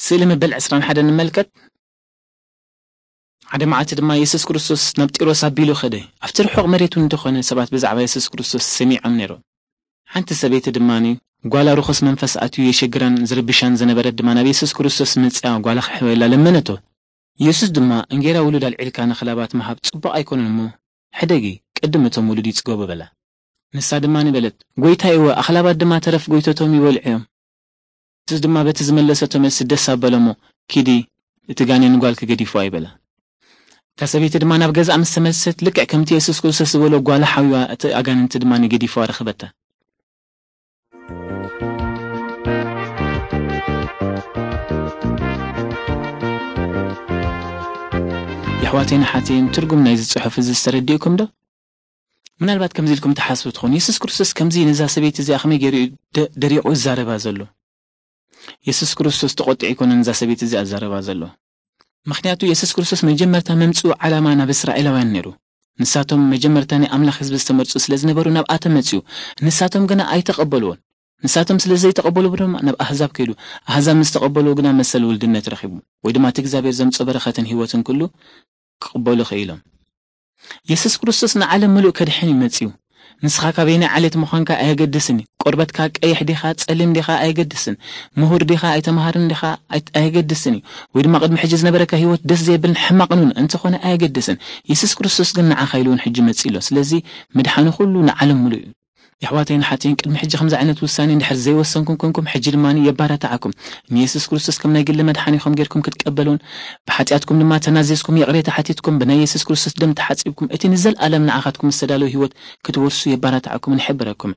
ስእሊ መበል ዕስራን ሓደን ንመልከት። ሓደ መዓልቲ ድማ የሱስ ክርስቶስ ናብ ጢሮስ ኣቢሉ ኸደ። ኣብቲ ርሑቕ መሬት እውን እንተኾነ ሰባት ብዛዕባ የሱስ ክርስቶስ ሰሚዖም ነይሮም። ሓንቲ ሰበይቲ ድማ ጓላ ርኹስ መንፈስ ኣትዩ የሸግራን ዝርብሻን ዝነበረት ድማ ናብ የሱስ ክርስቶስ መጽያ ጓላ ክሕበላ ለመነቶ። የሱስ ድማ እንጌራ ውሉድ ኣልዒልካ ንኽላባት ምሃብ ጽቡቕ ኣይኮነን እሞ ሕደጊ፣ ቅድም እቶም ውሉድ ይጽገቡ በላ። ንሳ ድማ በለት፣ ጎይታይ እወ፣ ኣኽላባት ድማ ተረፍ ጎይቶቶም ይበልዑ እዮም። የሱስ ድማ በቲ ዝመለሰቶ መልሲ ደስ ኣበሎ እሞ፣ ኪዲ፣ እቲ ጋኔን ንጓልኪ ገዲፍዋ እዩ በላ። እታ ሰበይቲ ድማ ናብ ገዛኣ ምስ ተመልሰት ልክዕ ከምቲ የሱስ ክርስቶስ ዝበሎ ጓላ ሓዊዋ እቲ ኣጋንንቲ ድማ ገዲፍዋ ረኸበታ። የሕዋተይን ኣሓተይን ትርጉም ናይዚ ጽሑፍ እዚ ዝተረዲእኩም ዶ? ምናልባት ከምዚ ኢልኩም ትሓስቡ ትኾኑ፣ የሱስ ክርስቶስ ከምዚ ነዛ ሰበይቲ እዚኣ ከመይ ገይሩ እዩ ደ- ደሪቑ ዝዛረባ ዘሎ? የሱስ ክርስቶስ ተቖጢዑ ኣይኮነን ነዛ ሰበይቲ እዚኣ ዝዛረባ ዘሎ። ምኽንያቱ የሱስ ክርስቶስ መጀመርታ መምጽኡ ዓላማ ናብ እስራኤላውያን ነይሩ። ንሳቶም መጀመርታ ናይ ኣምላኽ ህዝቢ ዝተመርጹ ስለ ዝነበሩ ናብኣቶም መጽኡ። ንሳቶም ግና ኣይተቐበልዎን። ንሳቶም ስለ ዘይተቐበሉ ድማ ናብ ኣህዛብ ከይዱ። ኣህዛብ ምስ ተቐበልዎ ግና መሰል ውልድነት ረኺቡ፣ ወይ ድማ እቲ እግዚኣብሔር ዘምጽኦ በረኸትን ህይወትን ኩሉ ክቕበሉ ክኢሎም። የሱስ ክርስቶስ ንዓለም ምሉእ ከድሕን እዩ መጺኡ። ንስኻ ካበየናይ ዓሌት ምዃንካ ኣየገድስን እዩ። ቆርበትካ ቀይሕ ዲኻ፣ ጸሊም ዲኻ ኣየገድስን። ምሁር ዲኻ፣ ኣይተምሃርን ዲኻ ኣይ- ኣየገድስን እዩ። ወይ ድማ ቅድሚ ሕጂ ዝነበረካ ህይወት ደስ ዘየብልን ሕማቕን እውን እንተኾነ ኣየገድስን። የሱስ ክርስቶስ ግን ንዓኻ ኢሉ እውን ሕጂ መጺኡ ኣሎ። ስለዚ ምድሓኑ ኩሉ ንዓለም ምሉእ እዩ። የሕዋተይን ኣሓተይን፣ ቅድሚ ሕጂ ከምዚ ዓይነት ውሳኔ እንድሕር ዘይወሰንኩም ኮንኩም፣ ሕጂ ድማ የባራትዓኩም። ንየሱስ ክርስቶስ ከም ናይ ግሊ መድሓኒኹም ጌርኩም ክትቀበሉን ብሓጢኣትኩም ድማ ተናዚዝኩም ይቕሬታ ሓቲትኩም ብናይ የሱስ ክርስቶስ ደም ተሓጺብኩም እቲ ንዘለኣለም ንዓኻትኩም ዝተዳለወ ህይወት ክትወርሱ የባራትዓኩምን ይሕብረኩም።